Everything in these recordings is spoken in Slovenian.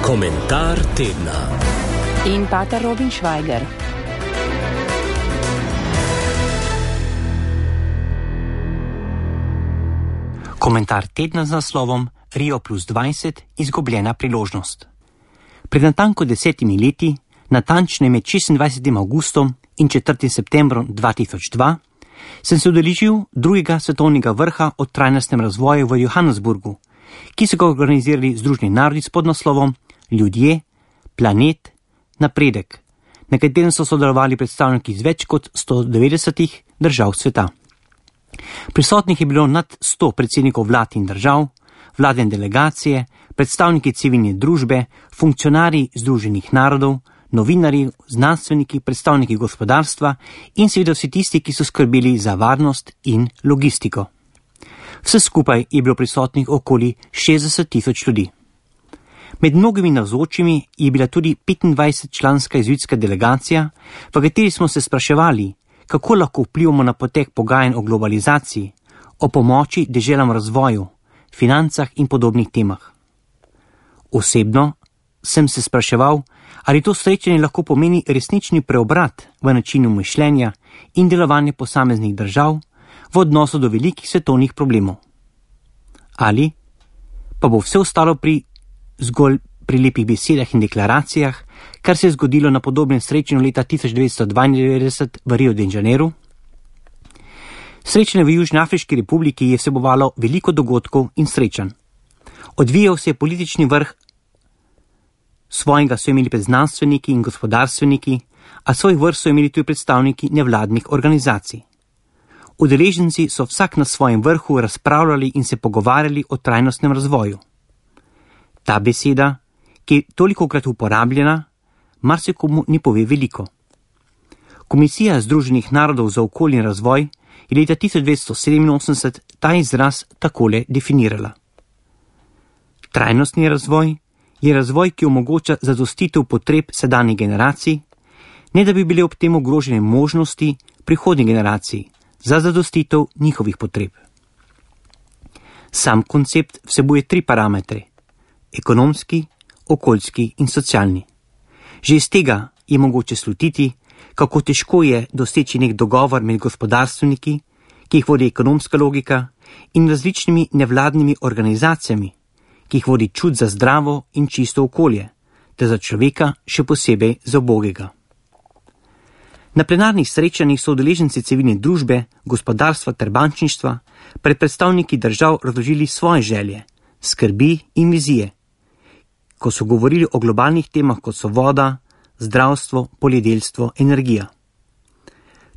Komentar tedna. In pater Robin Švajger. Komentar tedna z naslovom Rio +20 izgubljena priložnost. Pred natanko 10 leti, natančne med 26. augustom in 4. septembrom 2002, sem se udeležil drugega svetovnega vrha o trajnostnem razvoju v Johannesburgu, ki so ga organizirali Združeni narodi s podnaslovom Ljudje, planet, napredek, na katerem so sodelovali predstavniki iz več kot 190 držav sveta. Prisotnih je bilo nad 100 predsednikov vlad in držav, vladne delegacije, predstavniki civilne družbe, funkcionarji Združenih narodov, novinarji, znanstveniki, predstavniki gospodarstva in seveda vsi tisti, ki so skrbeli za varnost in logistiko. Vse skupaj je bilo prisotnih okoli 60.000 ljudi. Med mnogimi navzočimi je bila tudi 25-članska jezuitska delegacija, v kateri smo se spraševali, kako lahko vplivamo na potek pogajanj o globalizaciji, o pomoči deželam razvoju, financah in podobnih temah. Osebno sem se spraševal, ali to srečanje lahko pomeni resnični preobrat v načinu mišljenja in delovanja posameznih držav v odnosu do velikih svetovnih problemov. Ali pa bo vse ostalo zgolj pri lepih besedah in deklaracijah, kar se je zgodilo na podobnem srečanju leta 1992 v Rio de Janeiro. Srečanje v Južnoafriški republiki je vsebovalo veliko dogodkov in srečanj. Odvijal se je politični vrh, svojega so imeli znanstveniki in gospodarstveniki, a svoj vrh so imeli tudi predstavniki nevladnih organizacij. Udeleženci so vsak na svojem vrhu razpravljali in se pogovarjali o trajnostnem razvoju. Ta beseda, ki je tolikokrat uporabljena, marsikomu ne pove veliko. Komisija Združenih narodov za okolje in razvoj je leta 1987 ta izraz takole definirala. Trajnostni razvoj je razvoj, ki omogoča zadostitev potreb sedanjih generacij, ne da bi bile ob tem ogrožene možnosti prihodnjih generacij za zadostitev njihovih potreb. Sam koncept vsebuje 3 parametre: ekonomski, okoljski in socialni. Že iz tega je mogoče slutiti, kako težko je doseči nek dogovor med gospodarstveniki, ki jih vodi ekonomska logika, in različnimi nevladnimi organizacijami, ki jih vodi čut za zdravo in čisto okolje, ter za človeka še posebej za ubogega. Na plenarnih srečanjih so udeleženci civilne družbe, gospodarstva ter bančništva pred predstavniki držav razložili svoje želje, skrbi in vizije, ko so govorili o globalnih temah, kot so voda, zdravstvo, poljedelstvo, energija.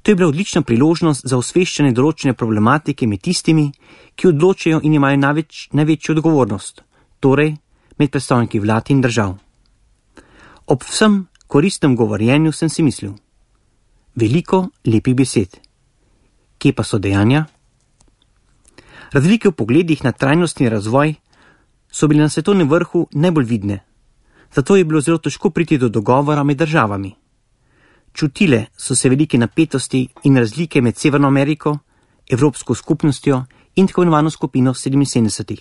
To je bila odlična priložnost za osveščanje določene problematike med tistimi, ki odločajo in imajo največjo odgovornost, torej med predstavniki vlad in držav. Ob vsem koristnem govorjenju sem si mislil, veliko lepih besed. Kje pa so dejanja? Razlike v pogledih na trajnostni razvoj so bile na svetovnem vrhu najbolj vidne, zato je bilo zelo težko priti do dogovora med državami. Čutile so se velike napetosti in razlike med Severno Ameriko, Evropsko skupnostjo in tako imenovano skupino 77,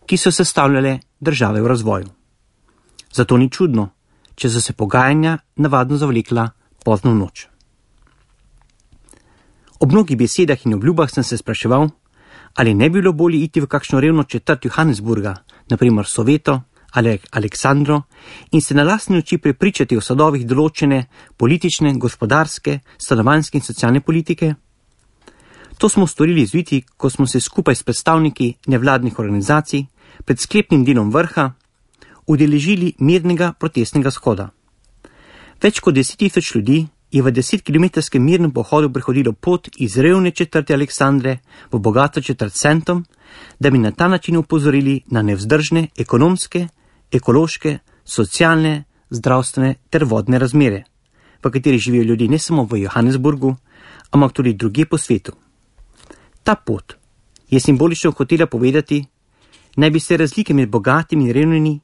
ki so sestavljale države v razvoju. Zato ni čudno, če so se pogajanja navadno zavlekla pozno v noč. Ob mnogih besedah in obljubah sem se spraševal, ali ne bi bilo bolje iti v kakšno revno četrt Johannesburga, naprimer Soveto ali Aleksandro, in se na lastne oči prepričati o sadovih določene politične, gospodarske, stanovanjske in socialne politike. To smo storili jezuiti, ko smo se skupaj s predstavniki nevladnih organizacij pred sklepnim delom vrha udeležili mirnega protestnega shoda. Več kot 10.000 ljudi je v 10-kilometrskem mirnem pohodu prehodilo pot iz revne četrti Aleksandre v bogato četrt Sentom, da bi na ta način upozorili na nevzdržne ekonomske, ekološke, socialne, zdravstvene ter vodne razmere, v kateri živijo ljudje ne samo v Johannesburgu, ampak tudi drugje po svetu. Ta pot je simbolično hotela povedati, naj bi se razlike med bogatimi in revnimi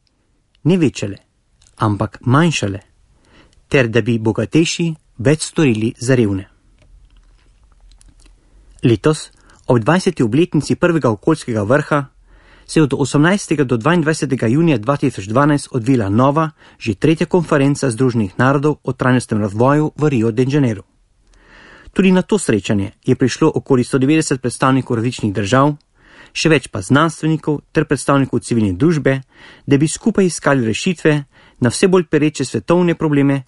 ne večale, ampak manjšale, ter da bi bogatejši več storili za revne. Letos, ob 20. obletnici prvega okoljskega vrha, se je od 18. do 22. junija 2012 odvila nova, že tretja konferenca Združenih narodov o trajnostnem razvoju v Rio de Janeiro. Tudi na to srečanje je prišlo okoli 190 predstavnikov različnih držav, še več pa znanstvenikov ter predstavnikov civilne družbe, da bi skupaj iskali rešitve na vse bolj pereče svetovne probleme,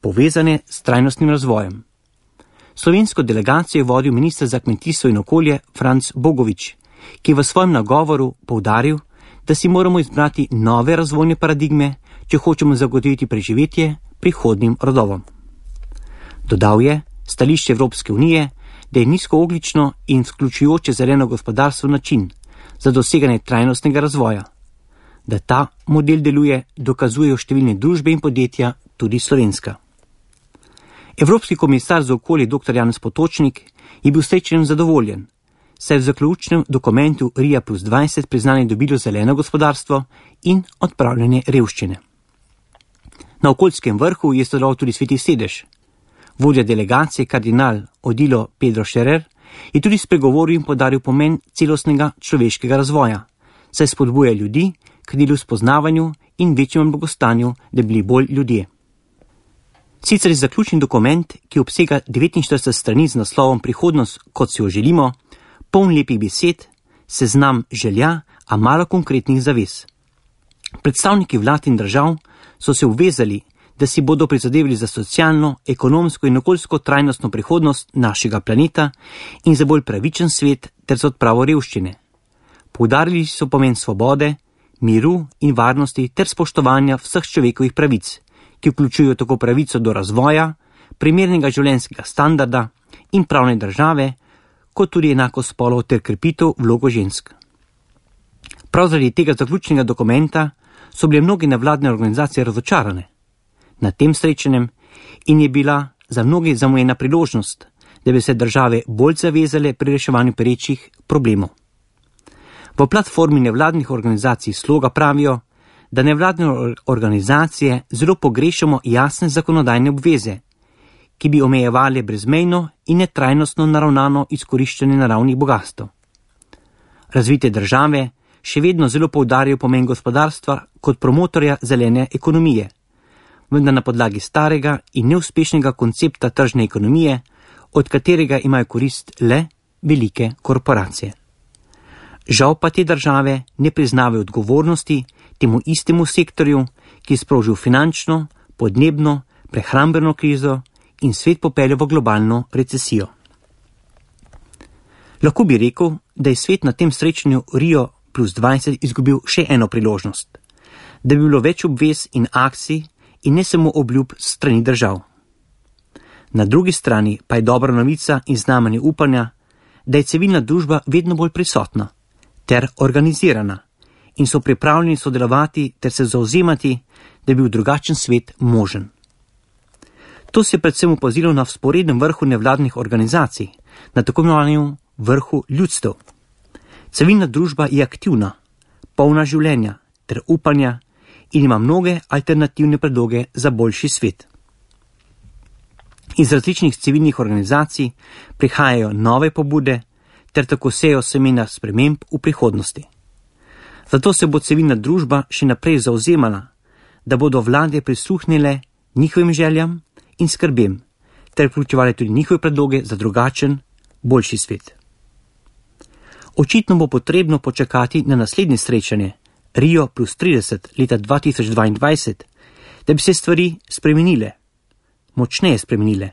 povezane s trajnostnim razvojem. Slovensko delegacijo je vodil minister za kmetijstvo in okolje Franc Bogovič, ki je v svojem nagovoru poudaril, da si moramo izbrati nove razvojne paradigme, če hočemo zagotoviti preživetje prihodnjim rodovom. Dodal je stališče Evropske unije, da je nizkoogljično in vključujoče zeleno gospodarstvo način za doseganje trajnostnega razvoja. Da ta model deluje, dokazujejo številne družbe in podjetja, tudi slovenska. Evropski komisar za okolje dr. Janez Potočnik je bil srečen zadovoljen, saj v zaključnem dokumentu Rio plus 20 priznanje dobilo zeleno gospodarstvo in odpravljanje revščine. Na okoljskem vrhu je sodeloval tudi Sveti sedež. Vodja delegacije kardinal Odilo Pedro Scherer je tudi spregovoril in podaril pomen celostnega človeškega razvoja, saj spodbuja ljudi k delu spoznavanju in večjemu blagostanju, da bi bili bolj ljudje. Sicer je zaključni dokument, ki obsega 49 strani z naslovom Prihodnost, kot si jo želimo, poln lepih besed, seznam želja, a malo konkretnih zavez. Predstavniki vlad in držav so se obvezali, da si bodo prizadevali za socialno, ekonomsko in okoljsko trajnostno prihodnost našega planeta in za bolj pravičen svet ter za odpravo revščine. Poudarili so pomen svobode, miru in varnosti ter spoštovanja vseh človekovih pravic, ki vključujejo tako pravico do razvoja, primernega življenjskega standarda in pravne države, kot tudi enako spolov ter krepitev vlogo žensk. Prav zaradi tega zaključnega dokumenta so bile mnoge nevladne organizacije razočarane na tem srečanjem in je bila za mnoge zamujena priložnost, da bi se države bolj zavezale pri reševanju perečih problemov. V platformi nevladnih organizacij Sloga pravijo, da nevladne organizacije zelo pogrešamo jasne zakonodajne obveze, ki bi omejevali brezmejno in netrajnostno naravnano izkoriščanje naravnih bogastev. Razvite države še vedno zelo poudarjajo pomen gospodarstva kot promotorja zelene ekonomije, vendar na podlagi starega in neuspešnega koncepta tržne ekonomije, od katerega imajo korist le velike korporacije. Žal pa te države ne priznavajo odgovornosti temu istemu sektorju, ki je sprožil finančno, podnebno, prehrambeno krizo in svet popeljal v globalno recesijo. Lahko bi rekel, da je svet na tem srečanju Rio plus 20 izgubil še eno priložnost, da bi bilo več obvez in akcij in ne samo obljub strani držav. Na drugi strani pa je dobra novica in znamenje upanja, da je civilna družba vedno bolj prisotna ter organizirana in so pripravljeni sodelovati ter se zauzemati, da bi bil drugačen svet možen. To se je predvsem opazilo na vzporednem vrhu nevladnih organizacij, na tako imenovanem vrhu ljudstev. Civilna družba je aktivna, polna življenja ter upanja in ima mnoge alternativne predloge za boljši svet. Iz različnih civilnih organizacij prihajajo nove pobude ter tako sejo semena sprememb v prihodnosti. Zato se bo civilna družba še naprej zauzemala, da bodo vlade prisluhnile njihovim željam in skrbem ter vključevali tudi njihove predloge za drugačen, boljši svet. Očitno bo potrebno počakati na naslednje srečanje Rio plus 30 leta 2022, da bi se stvari spremenile, močneje spremenile.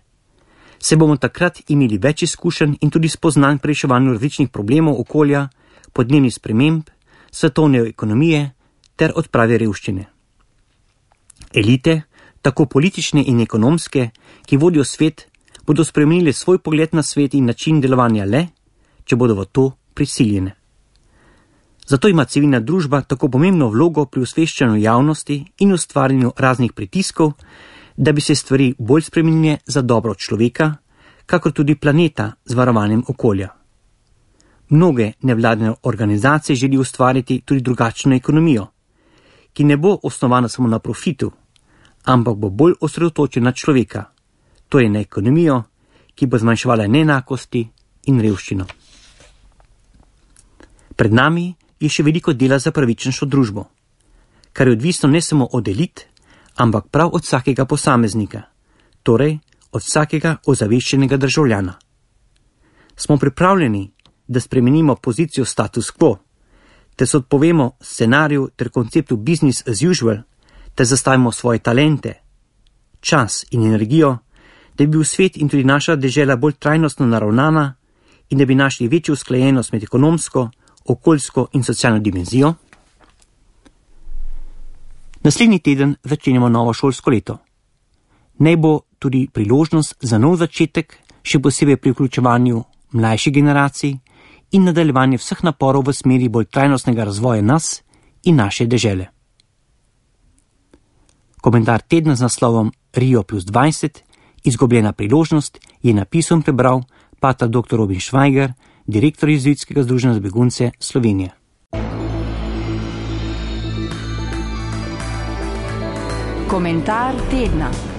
Se bomo takrat imeli več izkušenj in tudi spoznanj pri reševanju različnih problemov okolja, podnebnih sprememb, svetovne ekonomije ter odprave revščine. Elite, tako politične in ekonomske, ki vodijo svet, bodo spremenili svoj pogled na svet in način delovanja le, če bodo v to prisiljene. Zato ima civilna družba tako pomembno vlogo pri osveščanju javnosti in ustvarjanju raznih pritiskov, da bi se stvari bolj spremenile za dobro človeka, kakor tudi planeta z varovanjem okolja. Mnoge nevladne organizacije želijo ustvariti tudi drugačno ekonomijo, ki ne bo osnovana samo na profitu, ampak bo bolj osredotočena na človeka, to je na ekonomijo, ki bo zmanjševala neenakosti in revščino. Pred nami je še veliko dela za pravičnejšo družbo, kar je odvisno ne samo od elit, ampak prav od vsakega posameznika, torej od vsakega ozaveščenega državljana. Smo pripravljeni, da spremenimo pozicijo status quo, te se odpovemo scenariju ter konceptu business as usual, te zastavimo svoje talente, čas in energijo, da bi bil svet in tudi naša dežela bolj trajnostno naravnana in da bi našli večjo usklajenost med ekonomsko, okoljsko in socialno dimenzijo? Naslednji teden začenjamo novo šolsko leto. Naj bo tudi priložnost za nov začetek, še posebej pri vključevanju mlajših generacij in nadaljevanje vseh naporov v smeri bolj trajnostnega razvoja nas in naše dežele. Komentar tedna z naslovom Rio plus 20, izgubljena priložnost, je napisal in prebral pater dr. Robin Švajger, direktor Jezuitskega združenja za begunce Slovenije. Komentar tedna.